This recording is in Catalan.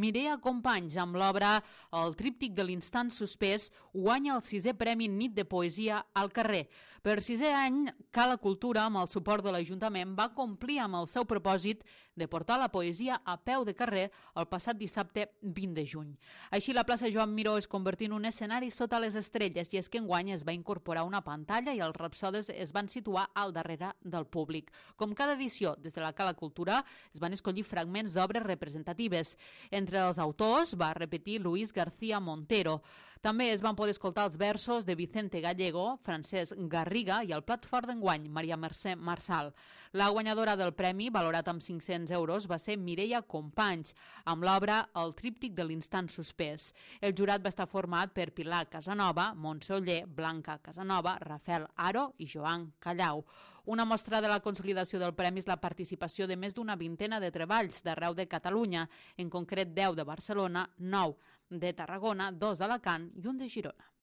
Mireia Companys, amb l'obra El tríptic de l'instant suspès, guanya el 6è Premi Nit de Poesia al carrer. Per 6è any, Cala Cultura, amb el suport de l'Ajuntament, va complir amb el seu propòsit de portar la poesia a peu de carrer el passat dissabte 20 de juny. Així, la plaça Joan Miró es convertí en un escenari sota les estrelles, i és que enguany es va incorporar una pantalla i els rapsodes es van situar al darrere del públic. Com cada edició, des de la Cala Cultura es van escollir fragments d'obres representatives. Entre els autors va repetir Luis García Montero. També es van poder escoltar els versos de Vicente Gallego, Francesc Garriga i el plat fort d'enguany, Maria Mercè Marçal. La guanyadora del premi, valorat amb 500 euros, va ser Mireia Companys, amb l'obra El tríptic de l'instant suspès. El jurat va estar format per Pilar Casanova, Montse Oller, Blanca Casanova, Rafael Aro i Joan Callau. Una mostra de la consolidació del premi és la participació de més d'una vintena de treballs d'arreu de Catalunya, en concret 10 de Barcelona, 9 de Tarragona, 2 d'Alacant i un de Girona.